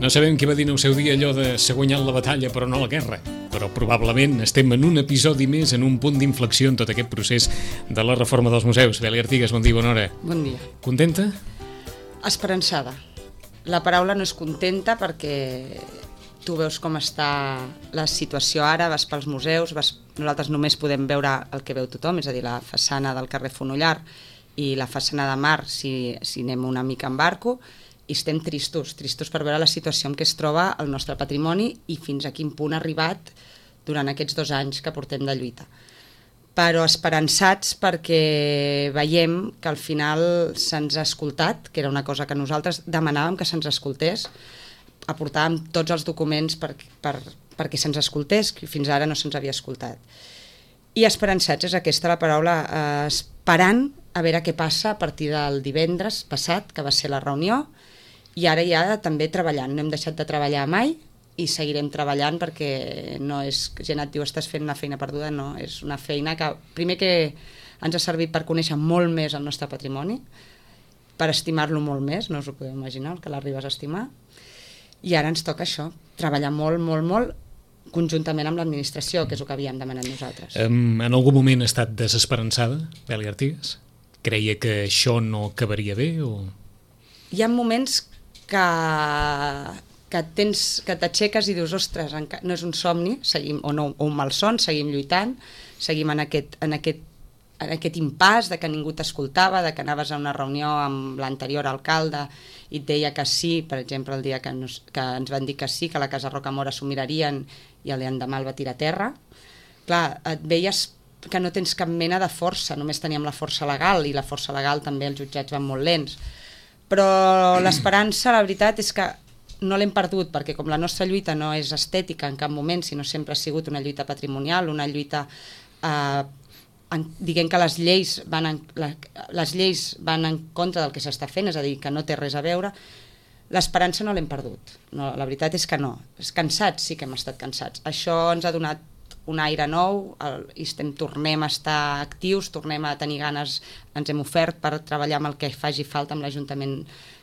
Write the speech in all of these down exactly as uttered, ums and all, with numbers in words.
No sabem què va dir en el seu dia allò de s'ha guanyat la batalla però no la guerra, però probablement estem en un episodi més, en un punt d'inflexió en tot aquest procés de la reforma dels museus. Beli Artigas, bon dia, bona hora. Bon dia. Contenta? Esperançada. La paraula no és contenta perquè tu veus com està la situació ara, vas pels museus, vas... nosaltres només podem veure el que veu tothom, és a dir, la façana del carrer Fonollar i la façana de Mar si, si anem una mica en barco, i estem tristos, tristos per veure la situació en què es troba el nostre patrimoni i fins a quin punt ha arribat durant aquests dos anys que portem de lluita. Però esperançats perquè veiem que al final se'ns ha escoltat, que era una cosa que nosaltres demanàvem que se'ns escoltés, aportàvem tots els documents per, per, perquè se'ns escoltés, que fins ara no se'ns havia escoltat. I esperançats és aquesta la paraula, eh, esperant a veure què passa a partir del divendres passat, que va ser la reunió, i ara ja també treballant. No hem deixat de treballar mai i seguirem treballant perquè no és, gent et diu estàs fent una feina perduda, no, és una feina que primer que ens ha servit per conèixer molt més el nostre patrimoni, per estimar-lo molt més, no us ho podeu imaginar, el que l'arribes a estimar, i ara ens toca això, treballar molt, molt, molt, conjuntament amb l'administració, que és el que havíem demanat nosaltres. Um, en algun moment ha estat desesperançada, Beli Artigas? Creia que això no acabaria bé? O... Hi ha moments que, que tens que t'aixeques i dius, ostres, no és un somni, seguim, o, no, o un malson, seguim lluitant, seguim en aquest, en aquest, en aquest impàs de que ningú t'escoltava, de que anaves a una reunió amb l'anterior alcalde i et deia que sí, per exemple, el dia que, nos, que ens van dir que sí, que la Casa Rocamora s'ho mirarien i l'endemà el va tirar a terra. Clar, et veies que no tens cap mena de força, només teníem la força legal, i la força legal també els jutjats van molt lents. Però l'esperança, la veritat, és que no l'hem perdut, perquè com la nostra lluita no és estètica en cap moment, sinó sempre ha sigut una lluita patrimonial, una lluita... Eh, en, diguem que les lleis, van en, la, les lleis van en contra del que s'està fent, és a dir, que no té res a veure, l'esperança no l'hem perdut. No, la veritat és que no. Cansats sí que hem estat cansats. Això ens ha donat un aire nou, el, i estem, tornem a estar actius, tornem a tenir ganes, ens hem ofert per treballar amb el que faci falta amb l'Ajuntament,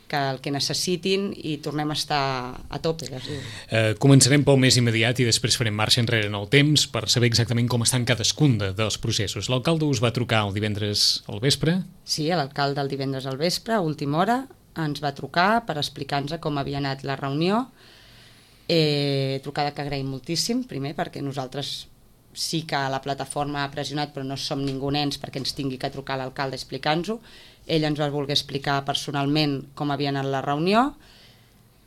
que el que necessitin, i tornem a estar a tope. Eh, començarem pel més immediat i després farem marxa enrere en el temps per saber exactament com estan cadascun de, dels processos. L'alcalde us va trucar el divendres al vespre? Sí, l'alcalde el divendres al vespre, a última hora, ens va trucar per explicar-nos com havia anat la reunió. Eh, trucada que agraïm moltíssim, primer perquè nosaltres sí que la plataforma ha pressionat, però no som ningú nens perquè ens tingui que trucar l'alcalde explicant-nos-ho. Ell ens va voler explicar personalment com havia anat la reunió.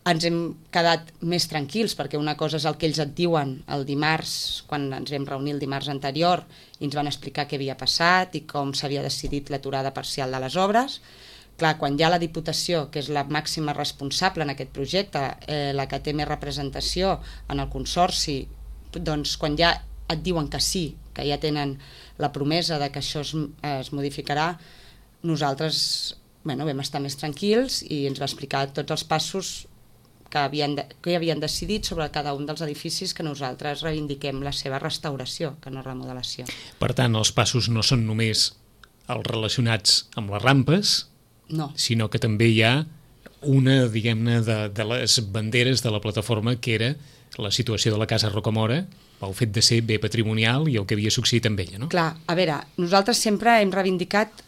Ens hem quedat més tranquils perquè una cosa és el que ells et diuen el dimarts, quan ens vam reunir el dimarts anterior, i ens van explicar què havia passat i com s'havia decidit l'aturada parcial de les obres. Clar, quan hi ha la Diputació, que és la màxima responsable en aquest projecte, eh, la que té més representació en el Consorci, doncs quan ja et diuen que sí, que ja tenen la promesa de que això es, es modificarà, nosaltres bueno, vam estar més tranquils i ens va explicar tots els passos que havien, de, que havien decidit sobre cada un dels edificis, que nosaltres reivindiquem la seva restauració, que no remodelació. Per tant, els passos no són només els relacionats amb les rampes, no, sinó que també hi ha una, diguem-ne, de, de les banderes de la plataforma, que era la situació de la Casa Rocamora, pel fet de ser bé patrimonial i el que havia succeït amb ella, no? Clar, a veure, nosaltres sempre hem reivindicat...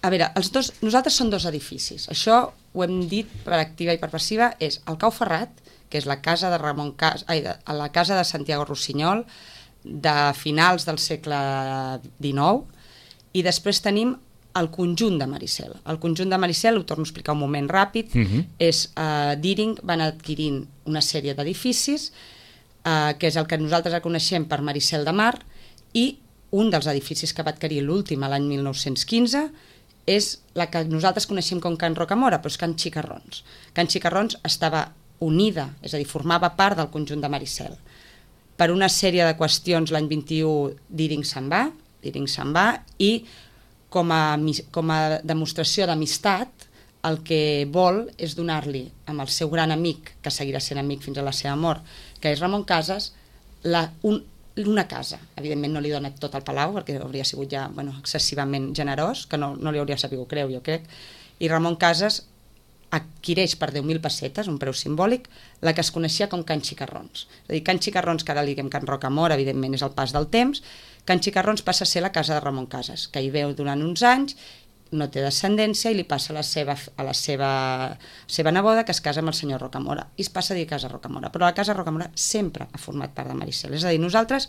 A veure, els dos, nosaltres són dos edificis. Això ho hem dit per activa i per passiva, és el Cau Ferrat, que és la casa de Ramon Cas, ai, de, la casa de Santiago Rossinyol, de finals del segle dinou, i després tenim el conjunt de Maricel. El conjunt de Maricel, ho torno a explicar un moment ràpid, uh-huh. és uh, Deering van adquirint una sèrie d'edificis, uh, que és el que nosaltres coneixem per Maricel de Mar, i un dels edificis que va adquirir l'últim l'any mil nou-cents quinze és la que nosaltres coneixem com Can Rocamora, però és Can Xicarrons. Can Xicarrons estava unida, és a dir, formava part del conjunt de Maricel. Per una sèrie de qüestions l'any vint-i-u Deering se'n va, Deering se'n va, i com a, com a demostració d'amistat el que vol és donar-li amb el seu gran amic, que seguirà sent amic fins a la seva mort, que és Ramon Casas, la, un, una casa. Evidentment no li dona tot el palau, perquè hauria sigut ja bueno, excessivament generós, que no, no li hauria sabut creu, jo crec. I Ramon Casas adquireix per deu mil pessetes, un preu simbòlic, la que es coneixia com Can Xicarrons. És a dir, Can Xicarrons, que ara li diguem Can Rocamora, evidentment és el pas del temps, Can Xicarrons passa a ser la casa de Ramon Casas, que hi veu durant uns anys, no té descendència i li passa a la seva, a la seva, seva neboda, que es casa amb el senyor Rocamora, i es passa a dir Casa Rocamora. Però la Casa Rocamora sempre ha format part de Maricel. És a dir, nosaltres,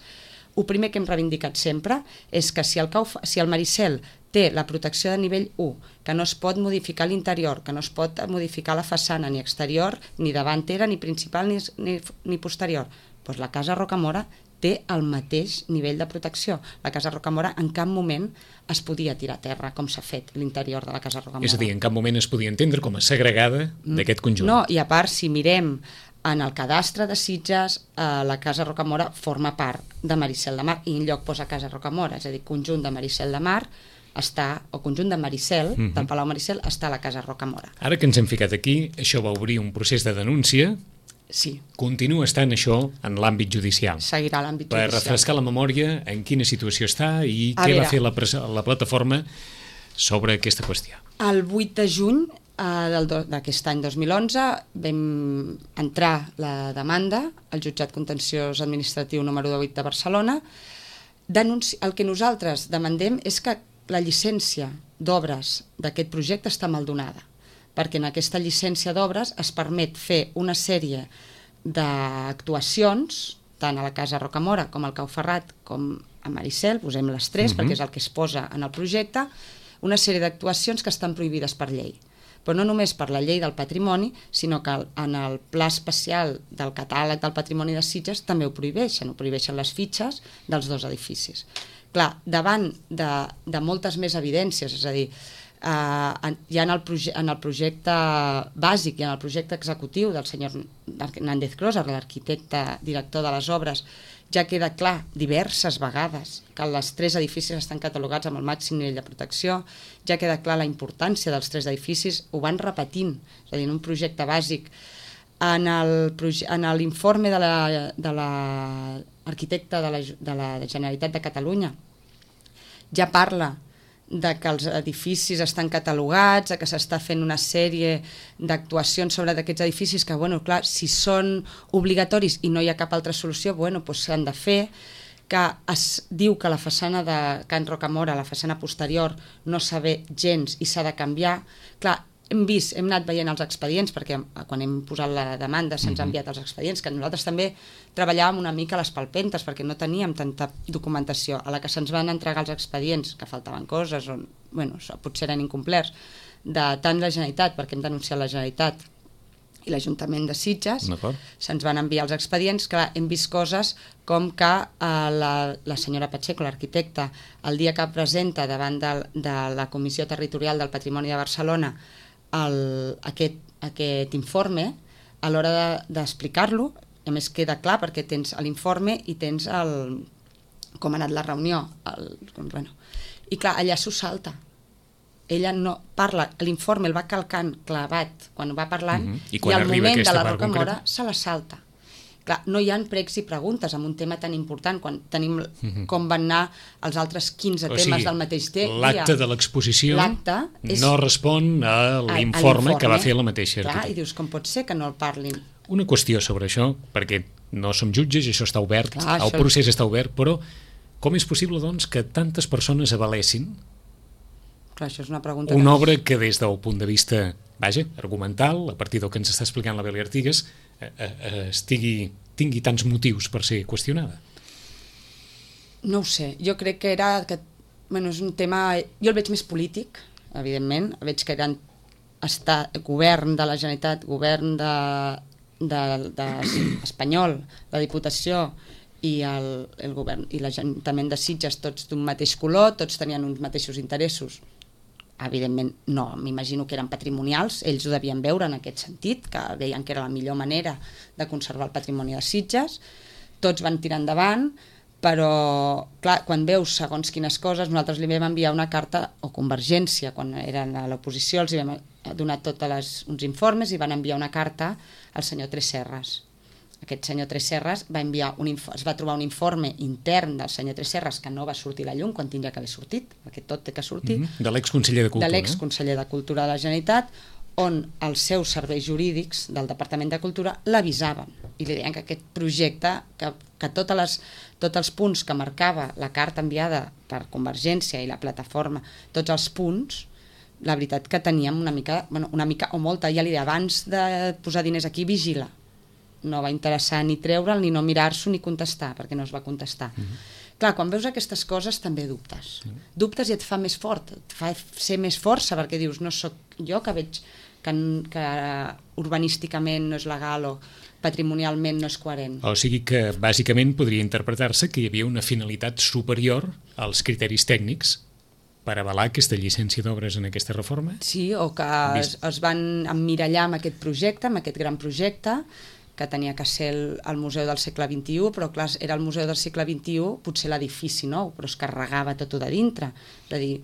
el primer que hem reivindicat sempre és que si el, Cau, si el Maricel té la protecció de nivell u, que no es pot modificar l'interior, que no es pot modificar la façana ni exterior, ni davantera, ni principal, ni, ni, ni posterior, doncs la Casa Rocamora té el mateix nivell de protecció. La Casa Rocamora en cap moment es podia tirar a terra, com s'ha fet l'interior de la Casa Rocamora. És a dir, en cap moment es podia entendre com a segregada d'aquest conjunt. No, i a part, si mirem en el cadastre de Sitges, eh, la Casa Rocamora forma part de Maricel de Mar, i en lloc posa Casa Rocamora, és a dir, conjunt de Maricel de Mar, està, o conjunt de Maricel, uh-huh. del Palau Maricel, està a la Casa Rocamora. Ara que ens hem ficat aquí, això va obrir un procés de denúncia. Sí. Continua estant això en l'àmbit judicial. Seguirà l'àmbit judicial. Per refrescar la memòria, en quina situació està i a què veure. va fer la, la plataforma sobre aquesta qüestió. El vuit de juny eh, d'aquest any dos mil onze vam entrar la demanda al jutjat contenciós administratiu número divuit de Barcelona. Denunci... El que nosaltres demandem és que la llicència d'obres d'aquest projecte està mal donada, perquè en aquesta llicència d'obres es permet fer una sèrie d'actuacions, tant a la Casa Rocamora com al Cau Ferrat com a Maricel, posem les tres, uh-huh. perquè és el que es posa en el projecte, una sèrie d'actuacions que estan prohibides per llei. Però no només per la llei del patrimoni, sinó que en el pla especial del catàleg del patrimoni de Sitges també ho prohibeixen, ho prohibeixen les fitxes dels dos edificis. Clar, davant de, de moltes més evidències, és a dir, eh, ja en el, proje en el projecte bàsic i en el projecte executiu del senyor Nández Closa, l'arquitecte director de les obres, ja queda clar diverses vegades que els tres edificis estan catalogats amb el màxim nivell de protecció, ja queda clar la importància dels tres edificis, ho van repetint, és a dir, en un projecte bàsic. En l'informe de l'arquitecte de, la, de la Generalitat de Catalunya ja parla de que els edificis estan catalogats, de que s'està fent una sèrie d'actuacions sobre aquests edificis que, bueno, clar, si són obligatoris i no hi ha cap altra solució, bueno, doncs s'han de fer, que es diu que la façana de Can Rocamora, la façana posterior, no s'ha bé gens i s'ha de canviar. Clar, hem vist, hem anat veient els expedients, perquè quan hem posat la demanda se'ns ha enviat els expedients, que nosaltres també treballàvem una mica a les palpentes, perquè no teníem tanta documentació. A la que se'ns van entregar els expedients, que faltaven coses, o bueno, potser eren incomplerts, de tant la Generalitat, perquè hem denunciat la Generalitat i l'Ajuntament de Sitges, se'ns van enviar els expedients, que hem vist coses com que eh, la, la senyora Pacheco, l'arquitecta, el dia que presenta davant de, de la Comissió Territorial del Patrimoni de Barcelona El, aquest, aquest informe, a l'hora d'explicar-lo, de, a més queda clar perquè tens l'informe i tens el, com ha anat la reunió, el, bueno. I clar, allà s'ho salta. Ella no parla, l'informe el va calcant clavat quan va parlant, uh-huh. I, i al moment de la Rocamora se la salta. Clar, no hi ha pregs i preguntes en un tema tan important quan tenim uh-huh. com van anar els altres quinze o temes sigui, del mateix temps. L'acte de l'exposició és... no respon a l'informe que va fer la mateixa arquitecta. Clar, i dius, com pot ser que no el parlin? Una qüestió sobre això, perquè no som jutges, això està obert, Clar, el això... procés està obert, però com és possible doncs que tantes persones avalessin Clar, això és una pregunta una que... obra que des del punt de vista, vaja, argumental, a partir del que ens està explicant la Beli Artigas, eh, eh, estigui, tingui tants motius per ser qüestionada? No ho sé, jo crec que era que, bueno, és un tema, jo el veig més polític, evidentment, veig que eren estar, govern de la Generalitat, govern de, de, de espanyol, la Diputació i el, el govern i l'Ajuntament de Sitges, tots d'un mateix color, tots tenien uns mateixos interessos. Evidentment no, m'imagino que eren patrimonials, ells ho devien veure en aquest sentit, que veien que era la millor manera de conservar el patrimoni de Sitges, tots van tirar endavant, però clar, quan veus segons quines coses, nosaltres li vam enviar una carta, o Convergència, quan eren a l'oposició, els vam donar tots les, uns informes i van enviar una carta al senyor Tresserras. Aquest senyor Tresserras va enviar un es va trobar un informe intern del senyor Tresserras que no va sortir a la llum quan tindria que haver sortit, perquè tot té que sortir, mm-hmm. de l'exconseller de Cultura. De l'exconseller de Cultura de la Generalitat, on els seus serveis jurídics del Departament de Cultura l'avisaven i li deien que aquest projecte, que, que totes les, tots els punts que marcava la carta enviada per Convergència i la plataforma, tots els punts, la veritat que teníem una mica, bueno, una mica o molta, ja li deia, abans de posar diners aquí, vigila. No va interessar ni treure'l, ni no mirar-s'ho, ni contestar, perquè no es va contestar. Mm-hmm. Clar, quan veus aquestes coses també dubtes. Mm. Dubtes i et fa més fort, et fa ser més força, perquè dius, no sóc jo que veig que, que urbanísticament no és legal o patrimonialment no és coherent. O sigui que, bàsicament, podria interpretar-se que hi havia una finalitat superior als criteris tècnics per avalar aquesta llicència d'obres en aquesta reforma? Sí, o que es, es van emmirallar amb aquest projecte, amb aquest gran projecte, que tenia que ser el, el Museu del segle vint-i-u, però clar, era el Museu del segle vint-i-u, potser l'edifici nou, però es carregava tot de dintre. És a dir,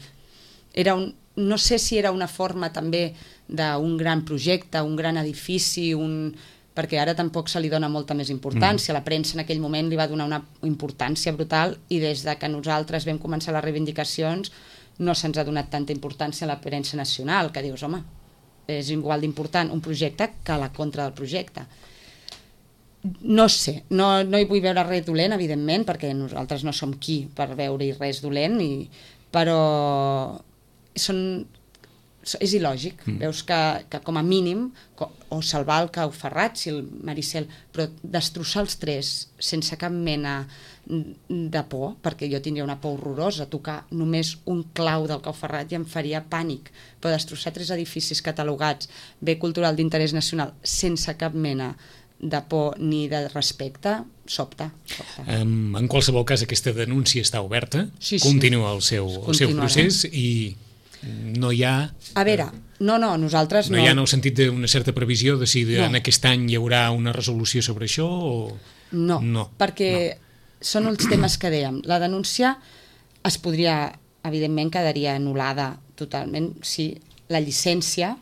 era un, no sé si era una forma també d'un gran projecte, un gran edifici, un, perquè ara tampoc se li dona molta més importància. Mm. La premsa en aquell moment li va donar una importància brutal i des de que nosaltres vam començar les reivindicacions no se'ns ha donat tanta importància a la premsa nacional, que dius, home, és igual d'important un projecte que la contra del projecte. No sé, no, no hi vull veure res dolent, evidentment, perquè nosaltres no som qui per veure-hi res dolent, i, però són, és il·lògic. Mm. Veus que, que com a mínim, o salvar el Cau Ferrat, si el Maricel, però destrossar els tres sense cap mena de por, perquè jo tindria una por horrorosa, tocar només un clau del Cau Ferrat i em faria pànic, però destrossar tres edificis catalogats bé cultural d'interès nacional sense cap mena de por ni de respecte, sobta. sobta. Um, en qualsevol cas, aquesta denúncia està oberta, sí, sí. continua el seu, el seu procés i no hi ha... A veure, no, no, nosaltres no... No hi ha en el sentit d'una certa previsió de si de, no. en aquest any hi haurà una resolució sobre això o... No, no. perquè no. són els temes que dèiem. La denúncia es podria, evidentment, quedaria anul·lada totalment si la llicència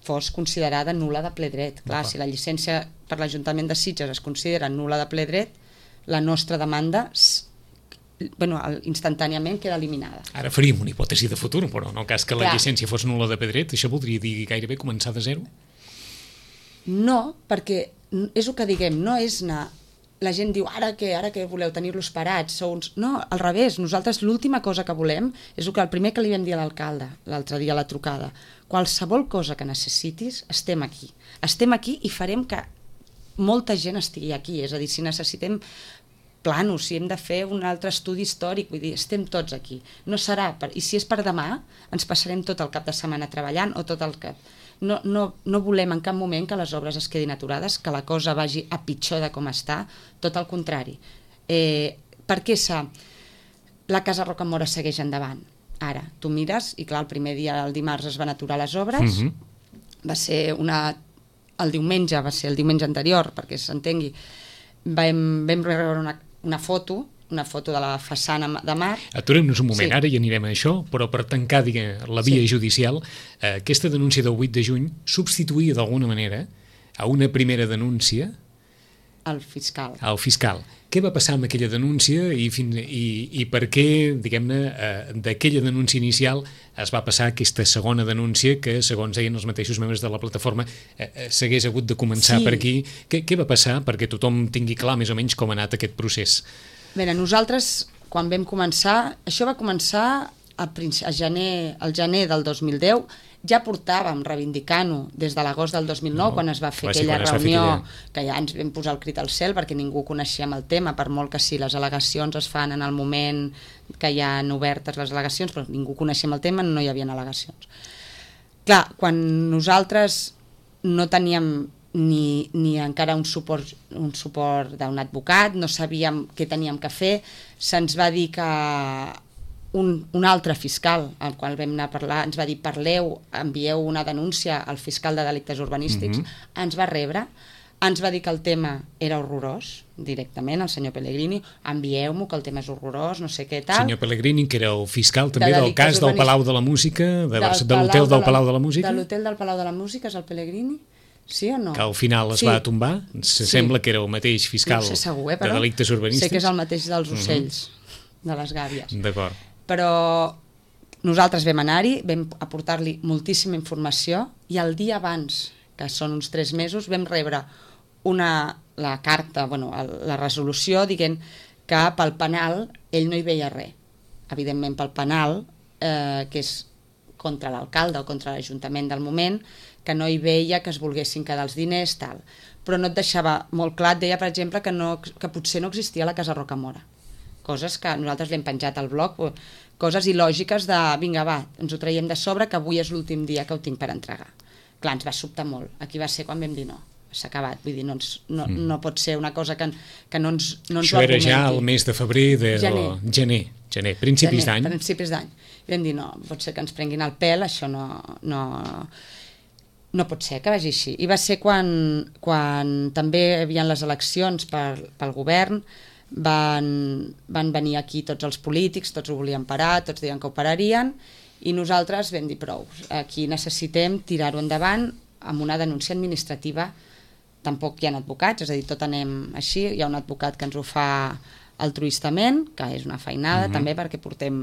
fos considerada nul·la de ple dret. Clar, si la llicència per l'Ajuntament de Sitges es considera nul·la de ple dret, la nostra demanda bueno, instantàniament queda eliminada. Ara faríem una hipòtesi de futur, però en el cas que la Clar. llicència fos nul·la de ple dret, això voldria dir gairebé començar de zero? No, perquè és el que diguem, no és anar... La gent diu, ara què, ara què voleu, tenir-los parats? Sou uns... No, al revés, nosaltres l'última cosa que volem és el, que el primer que li vam dir a l'alcalde l'altre dia a la trucada. Qualsevol cosa que necessitis, estem aquí. Estem aquí i farem que molta gent estigui aquí. És a dir, si necessitem planos, si hem de fer un altre estudi històric, vull dir, estem tots aquí. No serà, per... i si és per demà, ens passarem tot el cap de setmana treballant o tot el cap... No, no, no volem en cap moment que les obres es quedin aturades, que la cosa vagi a pitjor de com està, tot el contrari. Eh, per què s'ha... La Casa Rocamora segueix endavant. Ara, tu mires, i clar, el primer dia, el dimarts, es van aturar les obres, mm-hmm. va ser una... El diumenge, va ser el diumenge anterior, perquè s'entengui, vam, vam rebre una, una foto, una foto de la façana de mar. Aturem-nos un moment, sí. Ara i anirem a això, però per tancar diguem, la via sí. judicial, eh, aquesta denúncia del vuit de juny substituïa d'alguna manera a una primera denúncia al fiscal. Al fiscal. Què va passar amb aquella denúncia i, fin, i, i per què, diguem-ne, eh, d'aquella denúncia inicial es va passar aquesta segona denúncia que, segons deien els mateixos membres de la plataforma, eh, eh, s'hagués hagut de començar sí. per aquí. Què, què va passar perquè tothom tingui clar més o menys com ha anat aquest procés? Bé, nosaltres, quan vam començar, això va començar a, a gener, al gener del dos mil deu, ja portàvem reivindicant-ho des de l'agost del dos mil nou, no, quan es va fer aquella reunió, fer aquella... que ja ens vam posar el crit al cel perquè ningú coneixíem el tema, per molt que sí, les al·legacions es fan en el moment que hi ha obertes les al·legacions, però ningú coneixíem el tema, no hi havia al·legacions. Clar, quan nosaltres no teníem ni, ni encara un suport, un suport d'un advocat, no sabíem què teníem que fer, se'ns va dir que un, un altre fiscal, al qual vam anar a parlar, ens va dir, parleu, envieu una denúncia al fiscal de delictes urbanístics, mm-hmm. ens va rebre, ens va dir que el tema era horrorós, directament, el senyor Pellegrini, envieu-m'ho, que el tema és horrorós, no sé què tal. Senyor Pellegrini, que era el fiscal també de del cas del Palau de la Música, de, de l'hotel del Palau de la Música. De l'hotel del Palau de la Música és el Pellegrini? Sí o no? Que al final es sí. va tombar, se sí. sembla que era el mateix fiscal no sé segur, eh, de delictes urbanístics. Sé que és el mateix dels ocells, uh-huh. de les gàbies. D'acord. Però nosaltres vam anar-hi, vam aportar-li moltíssima informació i el dia abans, que són uns tres mesos, vam rebre una, la carta, bueno, la resolució dient que pel penal ell no hi veia res. Evidentment pel penal, eh, que és contra l'alcalde o contra l'Ajuntament del moment, que no hi veia que es volguessin quedar els diners, tal. Però no et deixava molt clar, et deia, per exemple, que, no, que potser no existia la Casa Rocamora. Coses que nosaltres l'hem penjat al blog, coses il·lògiques de, vinga, va, ens ho traiem de sobre, que avui és l'últim dia que ho tinc per entregar. Clar, ens va sobtar molt. Aquí va ser quan vam dir no, s'ha acabat. Vull dir, no, ens, no, mm. no pot ser una cosa que, que no ens, no ens Això ho era argumenti. ja el mes de febrer, de gener. O, gener, gener, principis d'any. Principis d'any. I vam dir, no, pot ser que ens prenguin el pèl, això no, no, no pot ser que vagi així. I va ser quan, quan també hi havia les eleccions per, pel govern, van, van venir aquí tots els polítics, tots ho volien parar, tots deien que ho pararien, i nosaltres vam dir prou. Aquí necessitem tirar-ho endavant amb una denúncia administrativa. Tampoc hi ha advocats, és a dir, tot anem així. Hi ha un advocat que ens ho fa altruistament, que és una feinada, mm-hmm. també, perquè portem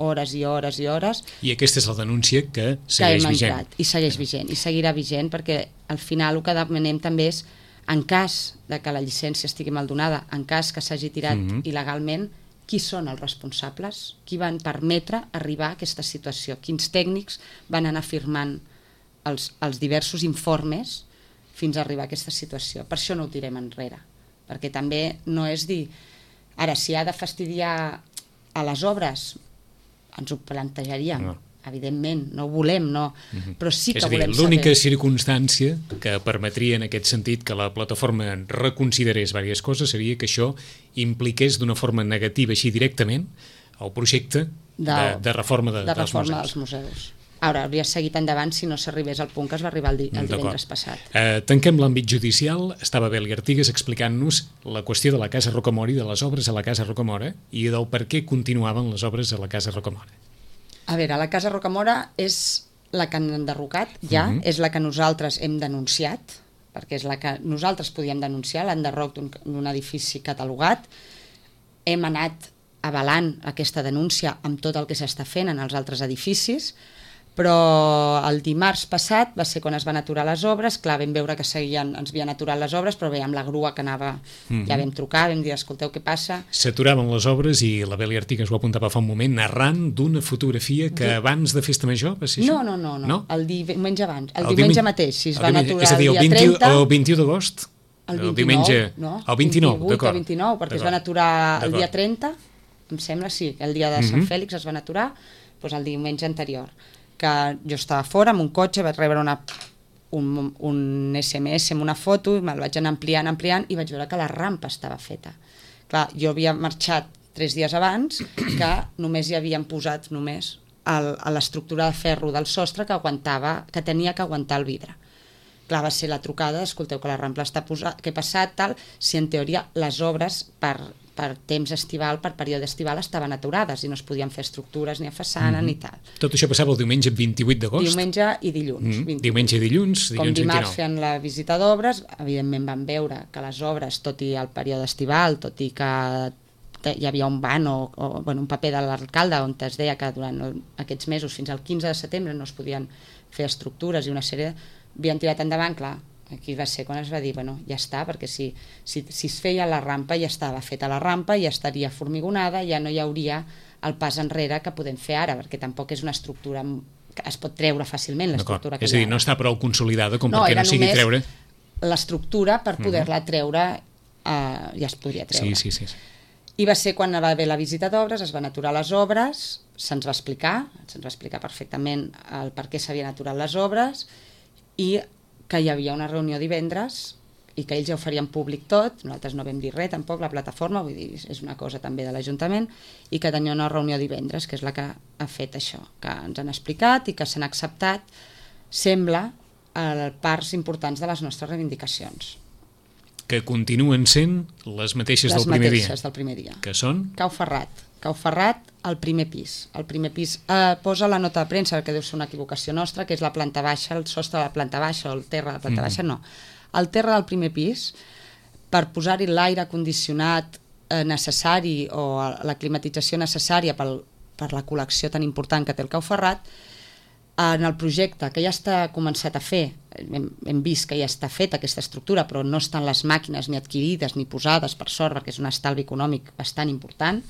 hores i hores i hores. I aquesta és la denúncia que segueix que vigent. Entrat, I segueix vigent, i seguirà vigent, perquè al final el que demanem també és, en cas de que la llicència estigui mal donada, en cas que s'hagi tirat mm-hmm. il·legalment, qui són els responsables? Qui van permetre arribar a aquesta situació? Quins tècnics van anar firmant els, els diversos informes fins a arribar a aquesta situació? Per això no ho tirem enrere, perquè també no és dir, ara, si ha de fastidiar a les obres, ens ho plantejaríem, no. Evidentment, no ho volem, no, mm-hmm. però sí que és a dir, volem saber. L'única circumstància que permetria en aquest sentit que la plataforma reconsiderés diverses coses seria que això impliqués d'una forma negativa, així directament, el projecte de, de, de reforma, de, de dels, reforma museus. dels museus. Ara, hauria seguit endavant si no s'arribés al punt que es va arribar el, di el divendres passat. Eh, tanquem l'àmbit judicial. Estava Beli Artigas explicant-nos la qüestió de la Casa Rocamora i de les obres a la Casa Rocamora i del per què continuaven les obres a la Casa Rocamora. A veure, la Casa Rocamora és la que han enderrocat ja, uh-huh. és la que nosaltres hem denunciat, perquè és la que nosaltres podíem denunciar, l'enderroc d'un edifici catalogat. Hem anat avalant aquesta denúncia amb tot el que s'està fent en els altres edificis, però el dimarts passat va ser quan es van aturar les obres. Clar, vam veure que seguien, ens havien aturat les obres, però bé, amb la grua que anava, mm-hmm. ja vam trucar, vam dir, escolteu, què passa? S'aturaven les obres i la Beli Artigas ho apuntava fa un moment, arran d'una fotografia que abans de Festa Major va ser això? No, no, no, no. no? el diumenge abans, el, el diumenge mateix, si es van diumenge, aturar és a dir, el, el dia trenta... El vint-i-u d'agost? El vint-i-nou, el diumenge, no? El vint-i-nou, d'acord. El vint-i-nou, perquè es van aturar el dia trenta, em sembla, sí, el dia de Sant mm-hmm. Fèlix es van aturar, doncs el diumenge anterior, que jo estava fora amb un cotxe, vaig rebre una, un, un esse eme esse amb una foto, i me'l vaig anar ampliant, ampliant, i vaig veure que la rampa estava feta. Clar, jo havia marxat tres dies abans, que només hi havien posat només el, a l'estructura de ferro del sostre que aguantava, que tenia que aguantar el vidre. Clar, va ser la trucada, escolteu que la rampa està posada, què ha passat, tal, si en teoria les obres per, per temps estival, per període estival, estaven aturades i no es podien fer estructures ni a façana mm-hmm. ni tal. Tot això passava el diumenge vint-i-vuit d'agost? Diumenge i dilluns. Mm-hmm. Diumenge i dilluns, dilluns Com dimarts vint-i-nou. fent la visita d'obres, evidentment vam veure que les obres, tot i el període estival, tot i que hi havia un ban o, o bueno, un paper de l'alcalde on es deia que durant el, aquests mesos, fins al quinze de setembre, no es podien fer estructures i una sèrie havien tirat endavant, clar, aquí va ser quan es va dir, bueno, ja està, perquè si, si, si es feia la rampa, ja estava feta la rampa, ja estaria formigonada, ja no hi hauria el pas enrere que podem fer ara, perquè tampoc és una estructura que es pot treure fàcilment, l'estructura que és a dir, no està prou consolidada com no, perquè no sigui treure... l'estructura per poder-la treure, eh, ja es podria treure. Sí, sí, sí. I va ser quan va haver la visita d'obres, es van aturar les obres, se'ns va explicar, se'ns va explicar perfectament el per què s'havien aturat les obres, i que hi havia una reunió divendres i que ells ja ho farien públic tot, nosaltres no vam dir res tampoc, la plataforma, vull dir, és una cosa també de l'Ajuntament, i que tenia una reunió divendres, que és la que ha fet això, que ens han explicat i que s'han acceptat, sembla, eh, parts importants de les nostres reivindicacions. Que continuen sent les mateixes les del primer dia. Les mateixes del primer dia. Que són? Cau Ferrat. Cau Ferrat, al primer pis. El primer pis eh, posa la nota de premsa, que deu ser una equivocació nostra, que és la planta baixa, el sostre de la planta baixa o el terra de la planta mm. baixa, no. El terra del primer pis, per posar-hi l'aire condicionat eh, necessari o la climatització necessària pel per la col·lecció tan important que té el Cau Ferrat. En el projecte, que ja està començat a fer, hem, hem vist que ja està feta aquesta estructura, però no estan les màquines ni adquirides ni posades, per sort, perquè és un estalvi econòmic bastant important,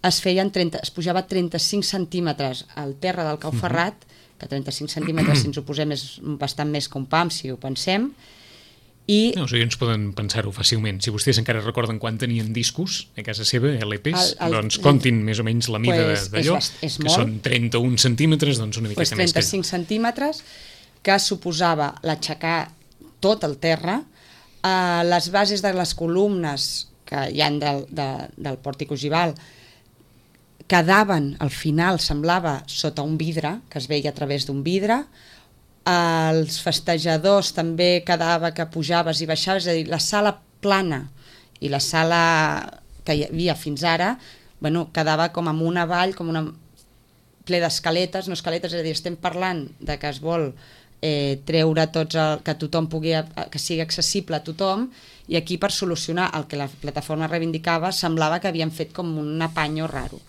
es feien trenta, es pujava trenta-cinc centímetres al terra del Cau Ferrat, que trenta-cinc centímetres, si ens ho posem, és bastant més que un pam, si ho pensem. I no, els oients poden pensar-ho fàcilment. Si vostès encara recorden quan tenien discos a casa seva, L Ps, el, el, doncs comptin més o menys la mida pues, d'allò, que molt, són trenta-un centímetres, doncs una miqueta pues més que trenta-cinc centímetres, que suposava l'aixecar tot el terra, eh, les bases de les columnes que hi ha del, de, del pòrtic ogival quedaven, al final semblava sota un vidre, que es veia a través d'un vidre. Els festejadors també quedava que pujaves i baixaves, és a dir, la sala plana i la sala que hi havia fins ara, bueno, quedava com amb una vall, com una ple d'escaletes, no escaletes, és a dir, estem parlant de que es vol eh, treure tots, el, que tothom pugui, que sigui accessible a tothom, i aquí per solucionar el que la plataforma reivindicava semblava que havien fet com un apanyo raro.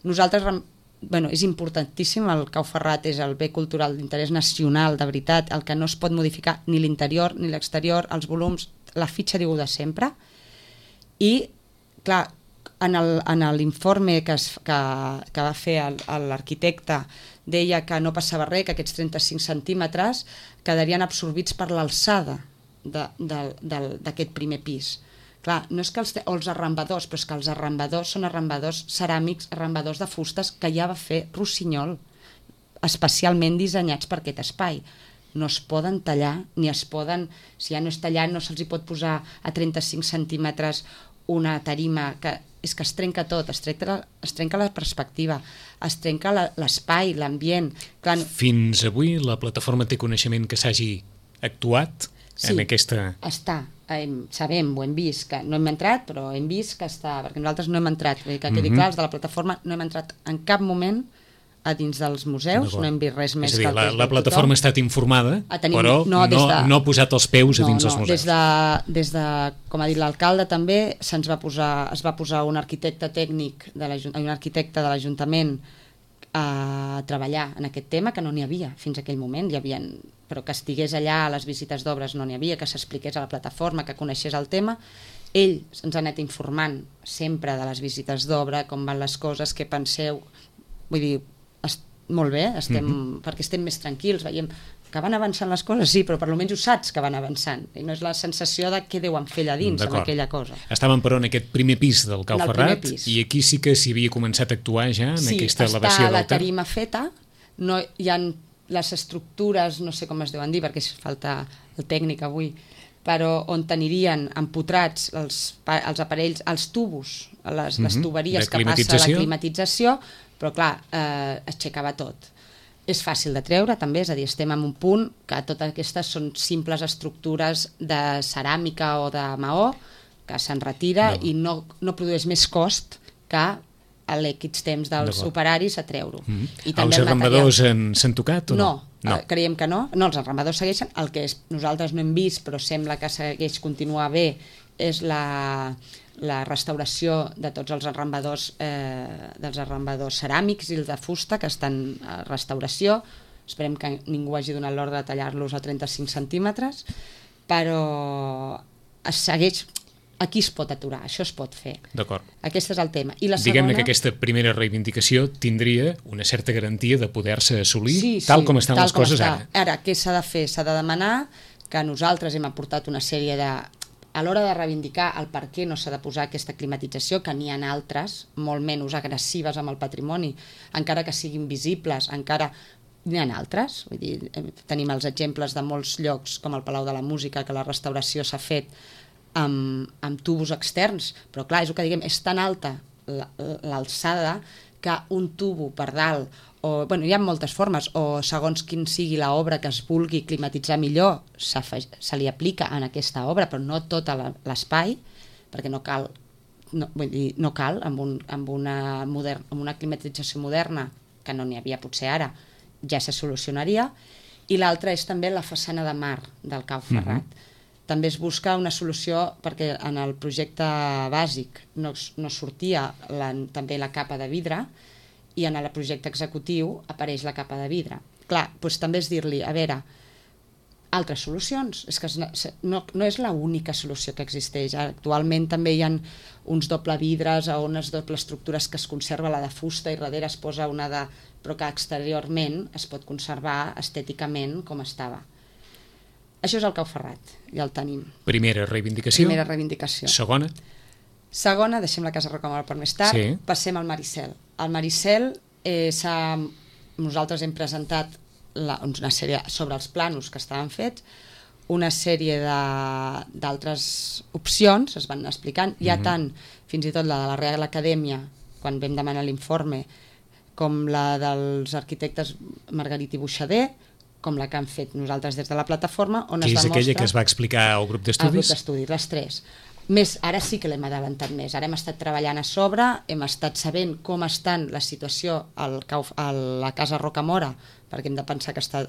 Nosaltres, bueno, és importantíssim, el Cau Ferrat és el bé cultural d'interès nacional, de veritat, el que no es pot modificar ni l'interior ni l'exterior, els volums, la fitxa diu de sempre, i clar, en l'informe que, es, que, que va fer l'arquitecte deia que no passava res, que aquests trenta-cinc centímetres quedarien absorbits per l'alçada d'aquest primer pis. Clar, no és que els, o els arrambadors, però és que els arrambadors són arrambadors ceràmics, arrambadors de fustes que ja va fer Rossinyol, especialment dissenyats per aquest espai. No es poden tallar, ni es poden, si ja no és tallat, no se'ls hi pot posar a trenta-cinc centímetres una tarima, que és que es trenca tot, es trenca, es trenca la perspectiva, es trenca l'espai, l'ambient. Clar, fins avui la plataforma té coneixement que s'hagi actuat sí, en aquesta... està. Hem, sabem, ho hem vist, que no hem entrat, però hem vist que està, perquè nosaltres no hem entrat, que quedi mm-hmm. clar, els de la plataforma no hem entrat en cap moment a dins dels museus, no hem vist res més dir, que el la, que la plataforma ha estat informada, tenim, però no, no, de, no ha posat els peus a dins no, dels no, museus. Des de, des de, com ha dit l'alcalde també, se'ns va posar, es va posar un arquitecte tècnic, de un arquitecte de l'Ajuntament a treballar en aquest tema, que no n'hi havia fins a aquell moment, hi havia, però que estigués allà a les visites d'obres no n'hi havia, que s'expliqués a la plataforma, que coneixés el tema. Ell ens ha anat informant sempre de les visites d'obra, com van les coses, què penseu, vull dir, est molt bé, estem, mm-hmm. perquè estem més tranquils, veiem que van avançant les coses, sí, però per almenys ho saps que van avançant, i no és la sensació de què deuen fer allà dins amb aquella cosa. Estàvem, però, en aquest primer pis del Cau Ferrat, i aquí sí que s'hi havia començat a actuar ja, en sí, aquesta elevació del Sí, està la tarima feta, no, hi ha les estructures, no sé com es deuen dir, perquè falta el tècnic avui, però on tenirien empotrats els, els aparells, els tubos, les, mm-hmm. les tuberies que passa la climatització, però clar, eh, es aixecava tot. És fàcil de treure també, és a dir, estem en un punt que totes aquestes són simples estructures de ceràmica o de maó que se'n retira no. i no, no produeix més cost que a l'equits temps dels operaris a treure-ho. Mm-hmm. Els arrambadors s'han tocat o no? No, no. creiem que no. No, els arrambadors segueixen. El que és, nosaltres no hem vist, però sembla que segueix continuar bé, és la, la restauració de tots els arrambadors, eh, dels arrambadors ceràmics i els de fusta, que estan a restauració. Esperem que ningú hagi donat l'ordre de tallar-los a trenta-cinc centímetres, però es segueix... Aquí es pot aturar, això es pot fer. D'acord. Aquest és el tema. I la Diguem-ne segona... que aquesta primera reivindicació tindria una certa garantia de poder-se assolir sí, tal sí, com estan tal les coses està. ara. Ara, què s'ha de fer? S'ha de demanar que nosaltres hem aportat una sèrie de... A l'hora de reivindicar el per què no s'ha de posar aquesta climatització, que n'hi ha altres, molt menys agressives amb el patrimoni, encara que siguin visibles, encara... N'hi ha altres, vull dir, tenim els exemples de molts llocs, com el Palau de la Música, que la restauració s'ha fet Amb, amb tubos externs, però clar, és el que diguem, és tan alta l'alçada que un tubo per dalt, o, bueno, hi ha moltes formes, o segons quin sigui l'obra que es vulgui climatitzar millor, se li aplica en aquesta obra, però no tot l'espai, perquè no cal, no, vull dir, no cal amb, un, amb, una modern, amb una climatització moderna, que no n'hi havia potser ara, ja se solucionaria, i l'altra és també la façana de mar del Cau Ferrat. Mm-hmm. També es busca una solució perquè en el projecte bàsic no, no sortia la, també la capa de vidre i en el projecte executiu apareix la capa de vidre. Clar, doncs també és dir-li, a veure, altres solucions, és que no, no és l'única solució que existeix. Actualment també hi ha uns doble vidres o unes doble estructures que es conserva la de fusta i darrere es posa una de... però que exteriorment es pot conservar estèticament com estava. Això és el Cau Ferrat, ja el tenim. Primera reivindicació. Primera reivindicació. Segona. Segona, deixem la Casa Rocamora per més tard, sí. Passem al Maricel. Al Maricel eh, nosaltres hem presentat la, una sèrie sobre els planos que estaven fets, una sèrie d'altres opcions es van explicant, hi ha mm-hmm. tant, fins i tot la de la Real Acadèmia, quan vam demanar l'informe, com la dels arquitectes Margarit i Buixader, com la que han fet nosaltres des de la plataforma, on que es és demostra... aquella que es va explicar al grup d'estudis? Al grup d'estudis, les tres. Més, ara sí que l'hem adelantat més. Ara hem estat treballant a sobre, hem estat sabent com estan la situació al, a la Casa Rocamora, perquè hem de pensar que està,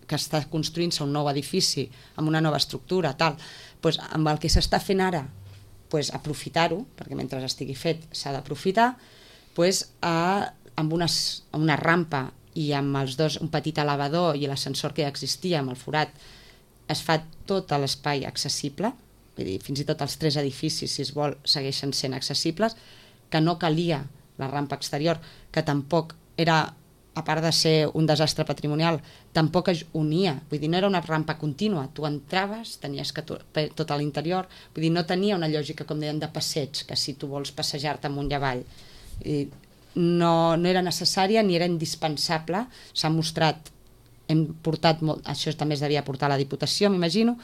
que està construint-se un nou edifici amb una nova estructura, tal. Pues, amb el que s'està fent ara, pues, aprofitar-ho, perquè mentre estigui fet s'ha d'aprofitar, pues, a, amb unes, una rampa i amb els dos, un petit elevador i l'ascensor que ja existia amb el forat, es fa tot l'espai accessible, vull dir, fins i tot els tres edificis, si es vol, segueixen sent accessibles, que no calia la rampa exterior, que tampoc era, a part de ser un desastre patrimonial, tampoc es unia, vull dir, no era una rampa contínua, tu entraves, tenies que tot a l'interior, vull dir, no tenia una lògica, com deien, de passeig, que si tu vols passejar-te amunt i avall, i no, no era necessària ni era indispensable, s'ha mostrat, hem portat, molt, això també es devia portar a la Diputació, m'imagino,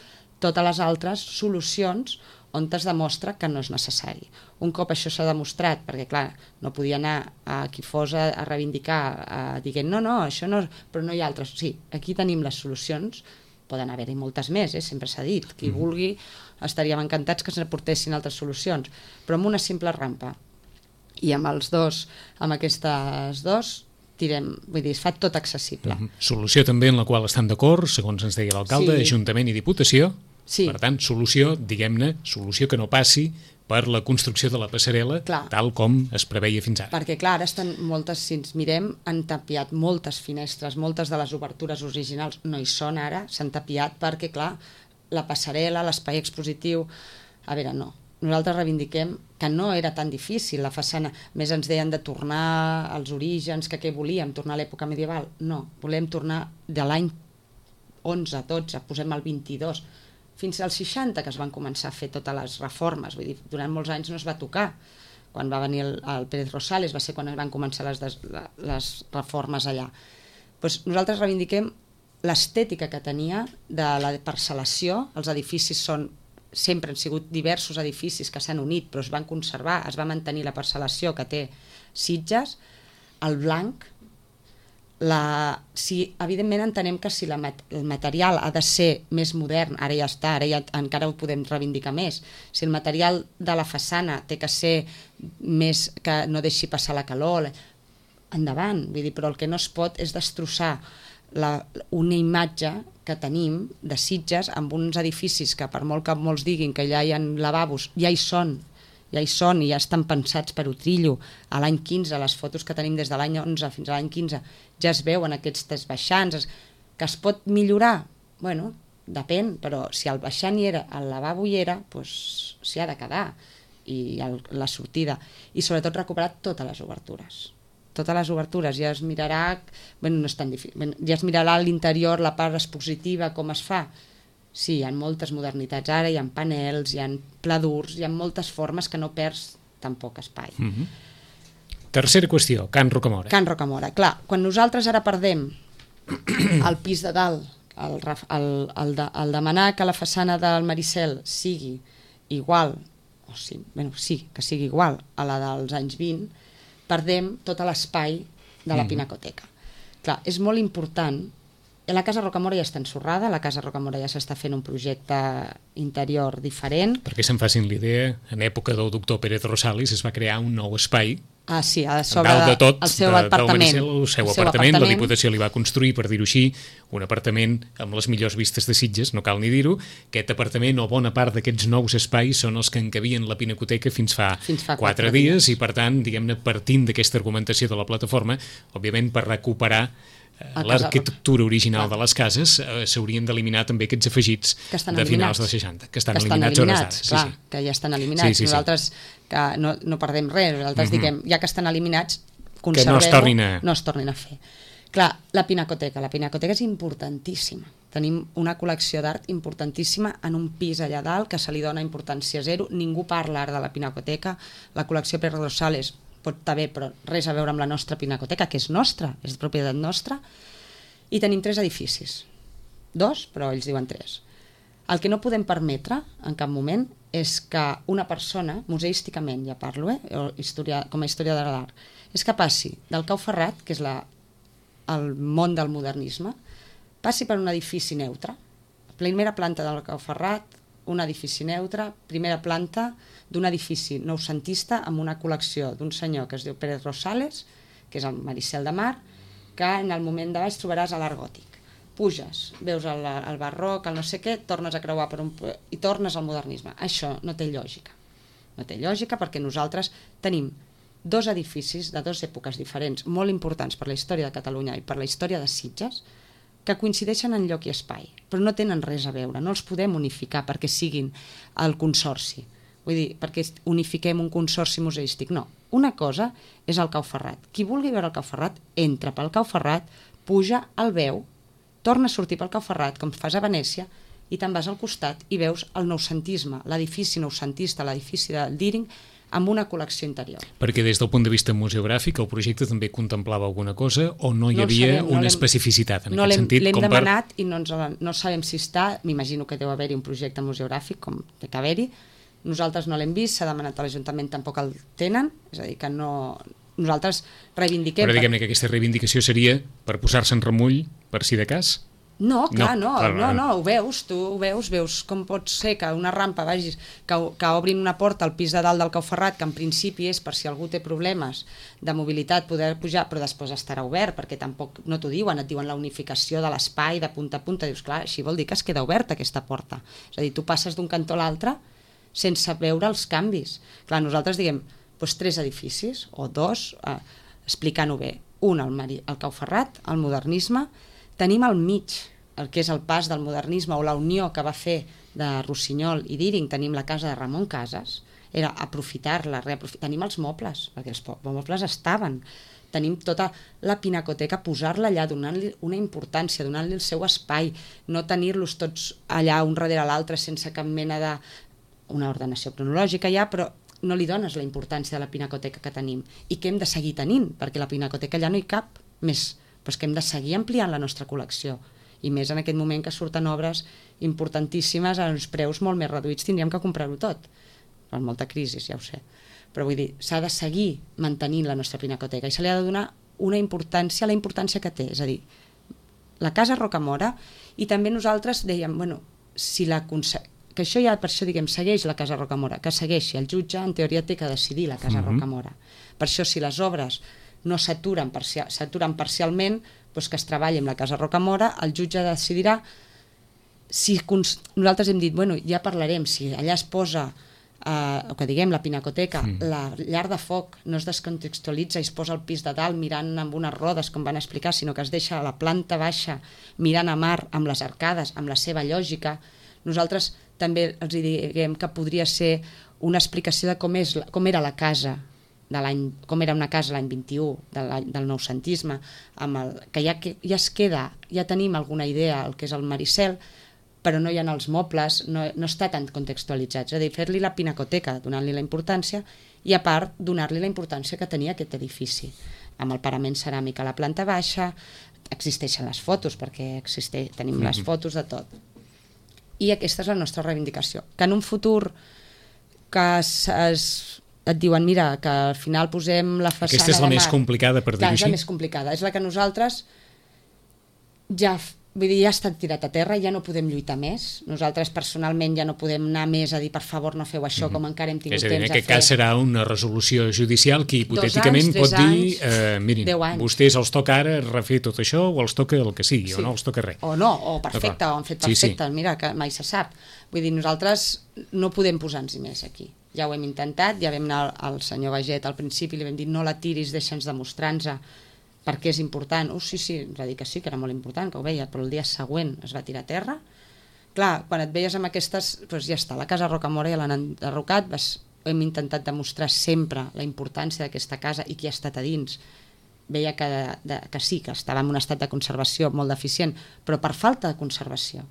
totes les altres solucions on es demostra que no és necessari. Un cop això s'ha demostrat, perquè clar, no podia anar a qui fos a, a reivindicar, a, dient no, no, això no, però no hi ha altres. Sí, aquí tenim les solucions, poden haver-hi moltes més, eh? Sempre s'ha dit, qui mm. vulgui estaríem encantats que s'aportessin altres solucions, però amb una simple rampa i amb els dos, amb aquestes dos, tirem, vull dir, es fa tot accessible. Mm-hmm. Solució també en la qual estan d'acord, segons ens deia l'alcalde, sí. Ajuntament i Diputació. Sí. Per tant, solució, diguem-ne, solució que no passi per la construcció de la passarel·la, clar, tal com es preveia fins ara. Perquè, clar, ara estan moltes, si ens mirem, han tapiat moltes finestres, moltes de les obertures originals no hi són ara, s'han tapiat perquè, clar, la passarel·la, l'espai expositiu... A veure, no. Nosaltres reivindiquem que no era tan difícil la façana, més ens deien de tornar als orígens, que què volíem, tornar a l'època medieval. No, volem tornar de l'any onze, dotze, posem el vint-i-dos, fins als seixanta que es van començar a fer totes les reformes, vull dir, durant molts anys no es va tocar. Quan va venir el, el Pérez Rosales va ser quan es van començar les, des, les reformes allà. Pues nosaltres reivindiquem l'estètica que tenia de la parcel·lació, els edificis són, sempre han sigut diversos edificis que s'han unit però es van conservar, es va mantenir la parcel·lació que té Sitges, el blanc, la, si, evidentment entenem que si la, el material ha de ser més modern, ara ja està, ara ja, encara ho podem reivindicar més, si el material de la façana té que ser més, que no deixi passar la calor, endavant, vull dir, però el que no es pot és destrossar la, una imatge que tenim de Sitges amb uns edificis que per molt que molts diguin que ja hi ha lavabos, ja hi són, ja hi són i ja estan pensats per Utrillo. A l'any quinze, les fotos que tenim des de l'any onze fins a l'any quinze, ja es veuen aquests baixants. Que es pot millorar? Bueno, depèn, però si el baixant hi era, el lavabo hi era, doncs s'hi ha de quedar, i el, la sortida. I sobretot recuperar totes les obertures. Totes les obertures, ja es mirarà, bueno, no és tan difícil, bueno, ja es mirarà a l'interior, la part expositiva, com es fa. Sí, hi ha moltes modernitats ara, hi ha panels, hi ha pladurs, hi ha moltes formes que no perds tan poc espai. Mm-hmm. Tercera qüestió, Can Rocamora. Can Rocamora, clar, quan nosaltres ara perdem el pis de dalt, el, el, el, de, el demanar que la façana del Maricel sigui igual, o sí, bueno, sí, que sigui igual a la dels anys vint, perdem tot l'espai de la mm-hmm. Pinacoteca. Clar, és molt important. La Casa Rocamora ja està ensorrada, la Casa Rocamora ja s'està fent un projecte interior diferent. Perquè se'n facin l'idea, en època del doctor Pérez Rosales es va crear un nou espai Ah, sí, a sobre dalt de tot, el seu de, apartament. Maricel, el seu, el seu apartament, apartament, la Diputació li va construir, per dir-ho així, un apartament amb les millors vistes de Sitges, no cal ni dir-ho. Aquest apartament o bona part d'aquests nous espais són els que encabien la Pinacoteca fins fa, fins fa quatre, quatre dies, dies i per tant, diguem-ne, partint d'aquesta argumentació de la plataforma, òbviament per recuperar l'arquitectura original de les cases, eh, s'haurien d'eliminar també aquests afegits de finals dels seixanta, que estan, que estan eliminats, eliminats hores d'ara. Clar, sí, sí. Que ja estan eliminats. Sí, sí, nosaltres que no, no perdem res, nosaltres uh-huh. diguem, ja que estan eliminats, conservem-ho, no es tornin a... no es tornin a fer. Clar, la Pinacoteca, la Pinacoteca és importantíssima. Tenim una col·lecció d'art importantíssima en un pis allà dalt que se li dona importància zero. Ningú parla ara de la Pinacoteca. La col·lecció Pere Rosales pot estar bé, però res a veure amb la nostra Pinacoteca, que és nostra, és de propietat nostra, i tenim tres edificis. Dos, però ells diuen tres. El que no podem permetre, en cap moment, és que una persona, museísticament ja parlo, eh, o historia, com a història de l'art, és que passi del Cau Ferrat, que és la, el món del modernisme, passi per un edifici neutre. Primera planta del Cau Ferrat, un edifici neutre, primera planta d'un edifici noucentista amb una col·lecció d'un senyor que es diu Pérez Rosales, que és el Maricel de Mar, que en el moment de baix trobaràs a l'art gòtic. Puges, veus el, el barroc, el no sé què, tornes a creuar per un... i tornes al modernisme. Això no té lògica. No té lògica perquè nosaltres tenim dos edificis de dues èpoques diferents, molt importants per la història de Catalunya i per la història de Sitges, que coincideixen en lloc i espai, però no tenen res a veure, no els podem unificar perquè siguin el consorci. Vull dir, perquè unifiquem un consorci museístic. No, una cosa és el Cau Ferrat. Qui vulgui veure el Cau Ferrat, entra pel Cau Ferrat, puja, el veu, torna a sortir pel Cau Ferrat, com fas a Venècia, i te'n vas al costat i veus el noucentisme, l'edifici noucentista, l'edifici del Díring, amb una col·lecció interior. Perquè des del punt de vista museogràfic el projecte també contemplava alguna cosa o no hi no havia sabem, una no especificitat en no aquest sentit? L'hem demanat per... i no, ens, no sabem si està, m'imagino que deu haver-hi un projecte museogràfic, com té que haver-hi. Nosaltres no l'hem vist, s'ha demanat a l'Ajuntament, tampoc el tenen, és a dir, que no... Nosaltres reivindiquem... Però diguem-ne que aquesta reivindicació seria per posar-se en remull, per si de cas? No, clar, no, no, no, no, ho veus, tu ho veus, veus com pot ser que una rampa vagis, que, que obrin una porta al pis de dalt del Cau Ferrat, que en principi és per si algú té problemes de mobilitat poder pujar, però després estarà obert, perquè tampoc no t'ho diuen, et diuen la unificació de l'espai de punta a punta, dius, clar, així vol dir que es queda oberta aquesta porta. És a dir, tu passes d'un cantó a l'altre sense veure els canvis. Clar, nosaltres diguem, doncs tres edificis, o dos, eh, explicant-ho bé, un al, Mari, al Cau Ferrat, el modernisme, tenim al mig el que és el pas del modernisme o la unió que va fer de Rossinyol i Díring, tenim la casa de Ramon Casas, era aprofitar-la, reaprofitar. Tenim els mobles, perquè els mobles estaven, tenim tota la pinacoteca, posar-la allà, donant-li una importància, donant-li el seu espai, no tenir-los tots allà un darrere l'altre sense cap mena de... una ordenació cronològica ja, però no li dones la importància de la pinacoteca que tenim i que hem de seguir tenint, perquè la pinacoteca allà no hi cap més, però és que hem de seguir ampliant la nostra col·lecció. I més en aquest moment que surten obres importantíssimes a uns preus molt més reduïts, tindríem que comprar-ho tot. Per molta crisi, ja ho sé. Però vull dir, s'ha de seguir mantenint la nostra pinacoteca i se li ha de donar una importància, la importància que té. És a dir, la Casa Rocamora, i també nosaltres dèiem, bueno, si la que això ja per això diguem, segueix la Casa Rocamora, que segueixi, el jutge en teoria té que decidir la Casa mm-hmm. Rocamora. Per això si les obres no s'aturen parcial, s'aturen parcialment, doncs que es treballi amb la Casa Rocamora, el jutge decidirà si nosaltres hem dit, bueno, ja parlarem, si allà es posa, eh, o que diguem, la pinacoteca, mm. la llar de foc no es descontextualitza i es posa al pis de dalt mirant amb unes rodes, com van explicar, sinó que es deixa a la planta baixa mirant a mar amb les arcades, amb la seva lògica. Nosaltres també els diguem que podria ser una explicació de com, és, com era la casa de l'any, com era una casa l'any vint-i-u del, del noucentisme, amb el, que ja, ja es queda, ja tenim alguna idea el que és el Maricel, però no hi ha els mobles, no, no està tan contextualitzat, és a dir, fer-li la pinacoteca, donant-li la importància, i a part donar-li la importància que tenia aquest edifici, amb el parament ceràmic a la planta baixa, existeixen les fotos, perquè existeix, tenim mm-hmm. les fotos de tot. I aquesta és la nostra reivindicació, que en un futur que es, es et diuen, mira, que al final posem la façana... Aquesta és la més complicada, per dir-ho així? És la més complicada, és la que nosaltres ja vull dir, ja ha estat tirat a terra, ja no podem lluitar més. Nosaltres personalment ja no podem anar més a dir per favor no feu això, mm-hmm. com encara hem tingut és a dir, temps a fer. En aquest cas serà una resolució judicial que hipotèticament anys, pot dir anys, eh, mirin, vostès els toca ara refer tot això o els toca el que sigui, sí. o no els toca res. O no, o perfecte, o han fet perfecte, sí, sí. Mira, que mai se sap. Vull dir, nosaltres no podem posar-nos més aquí. Ja ho hem intentat, ja vam anar al senyor Baget al principi, li vam dir no la tiris, deixa'ns demostrar-nos perquè és important. Oh, sí, sí, ens va dir que sí, que era molt important, que ho veia, però el dia següent es va tirar a terra. Clar, quan et veies amb aquestes, doncs ja està, la casa Rocamora ja l'han enderrocat, vas, hem intentat demostrar sempre la importància d'aquesta casa i qui ha estat a dins. Veia que, de, que sí, que estava en un estat de conservació molt deficient, però per falta de conservació.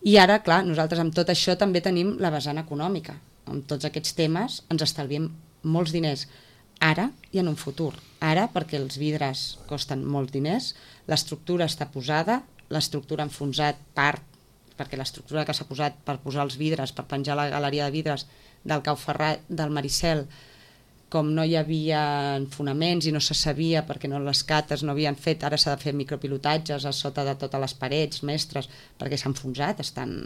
I ara, clar, nosaltres amb tot això també tenim la vessant econòmica. Amb tots aquests temes ens estalviem molts diners, ara i en un futur. Ara perquè els vidres costen molts diners, l'estructura està posada, l'estructura ha enfonsat part, perquè l'estructura que s'ha posat per posar els vidres, per penjar la galeria de vidres del Cau Ferrat, del Maricel, com no hi havia fonaments i no se sabia perquè no les cates no havien fet, ara s'ha de fer micropilotatges a sota de totes les parets mestres perquè s'ha enfonsat, estan,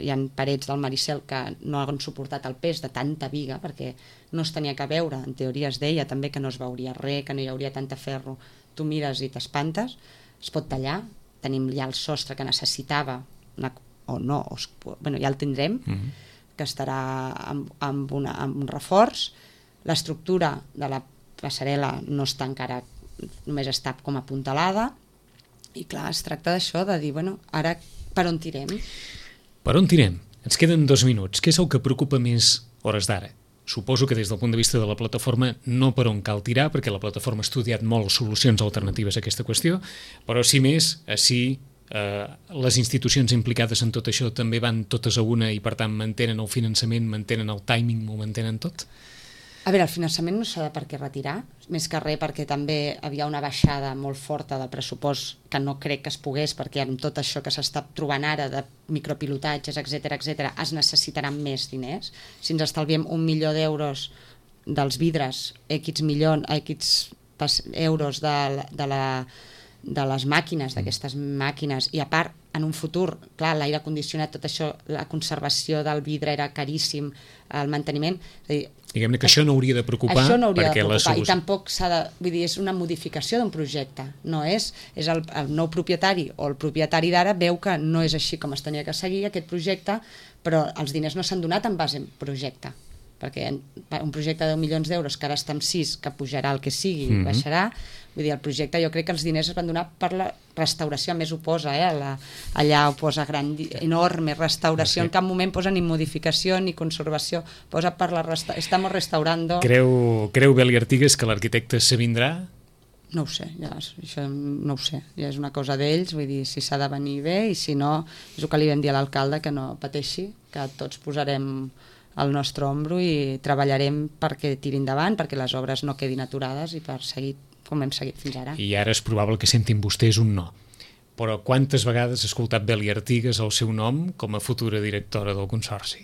hi ha parets del Maricel que no han suportat el pes de tanta viga perquè no es tenia que veure, en teoria es deia també que no es veuria res, que no hi hauria tanta ferro, tu mires i t'espantes, es pot tallar, tenim ja el sostre que necessitava una, o no, o, bueno, ja el tindrem, mm-hmm. que estarà amb, amb, una, amb un reforç. L'estructura de la passarel·la no està encara, només està com apuntalada i clar, es tracta d'això, de dir, bueno, ara per on tirem? Per on tirem? Ens queden dos minuts. Què és el que preocupa més hores d'ara? Suposo que des del punt de vista de la plataforma no per on cal tirar, perquè la plataforma ha estudiat molt solucions alternatives a aquesta qüestió, però si més, si eh, les institucions implicades en tot això també van totes a una i per tant mantenen el finançament, mantenen el timing, ho mantenen tot? A veure, el finançament no s'ha de per què retirar, més que res perquè també havia una baixada molt forta del pressupost que no crec que es pogués, perquè amb tot això que s'està trobant ara de micropilotatges, etcètera, etcètera, es necessitaran més diners. Si ens estalviem un milió d'euros dels vidres, X milió, X euros de, de, la, de les màquines, d'aquestes màquines, i a part, en un futur, clar, l'aire condicionat, tot això, la conservació del vidre era caríssim, el manteniment, és a dir, diguem-ne que això no hauria de preocupar, això no hauria perquè de preocupar, solució... i tampoc s'ha de, vull dir, és una modificació d'un projecte, no és, és el, el nou propietari o el propietari d'ara veu que no és així com es tenia que seguir aquest projecte, però els diners no s'han donat en base a projecte, perquè un projecte de deu milions d'euros que ara està en sis, que pujarà el que sigui, mm-hmm. baixarà, vull dir, el projecte jo crec que els diners es van donar per la restauració, a més ho posa, eh? La, allà ho posa gran, enorme restauració, sí. En cap moment posa ni modificació ni conservació, posa per la resta... estamos restaurando... Creu, creu Beli Artigas que l'arquitecte se vindrà? No ho sé, ja, això no ho sé, ja és una cosa d'ells, vull dir, si s'ha de venir bé i si no, és el que li vam dir a l'alcalde, que no pateixi, que tots posarem al nostre ombro i treballarem perquè tiri endavant, perquè les obres no quedin aturades i per seguir com hem seguit fins ara. I ara és probable que sentin vostès un no. Però quantes vegades ha escoltat Beli Artigas el seu nom com a futura directora del Consorci?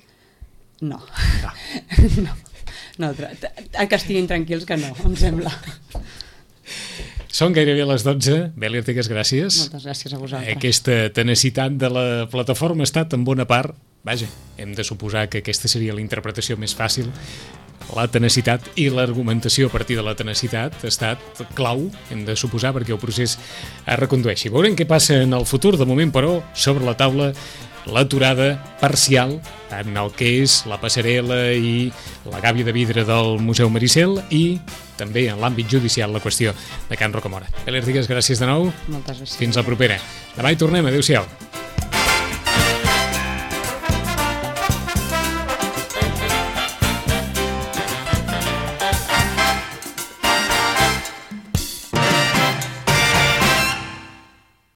No. No. no. no que estiguin tranquils que no, em sembla. Són gairebé les dotze. Beli Artigas, gràcies. Moltes gràcies a vosaltres. Aquesta tenacitat de la plataforma ha estat en bona part, vaja, hem de suposar que aquesta seria la interpretació més fàcil. La tenacitat i l'argumentació a partir de la tenacitat ha estat clau, hem de suposar, perquè el procés es recondueixi. Veurem què passa en el futur. De moment, però, sobre la taula l'aturada parcial en el que és la passarel·la i la gàbia de vidre del Museu Maricel i també en l'àmbit judicial la qüestió de Can Rocamora. Beli Artigas, gràcies de nou. Moltes gràcies. Fins la propera. Demà hi tornem. Adéu-siau.